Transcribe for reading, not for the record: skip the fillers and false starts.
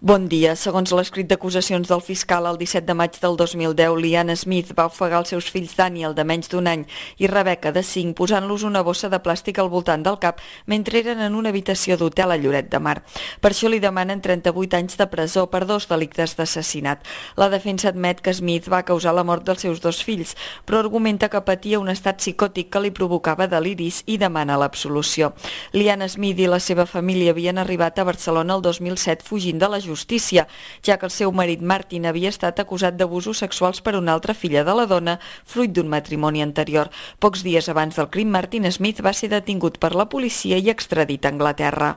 Bon dia. Segons l'escrit d'acusacions del fiscal, el 17 de maig del 2010, Liana Smith va ofegar els seus fills Daniel, de menys d'un any, i Rebecca, de 5, posant-los una bossa de plàstic al voltant del cap mentre eren en una habitació d'hotel a Lloret de Mar. Per això li demanen 38 anys de presó per 2 delictes d'assassinat. La defensa admet que Smith va causar la mort dels seus 2 fills, però argumenta que patia un estat psicòtic que li provocava deliris i demana l'absolució. Liana Smith i la seva família havien arribat a Barcelona el 2007 fugint de la justícia, ja que el seu marit Martin havia estat acusat d'abusos sexuals per una altra filla de la dona, fruit d'un matrimoni anterior. Pocs dies abans del crim, Martin Smith va ser detingut per la policia i extradit a Anglaterra.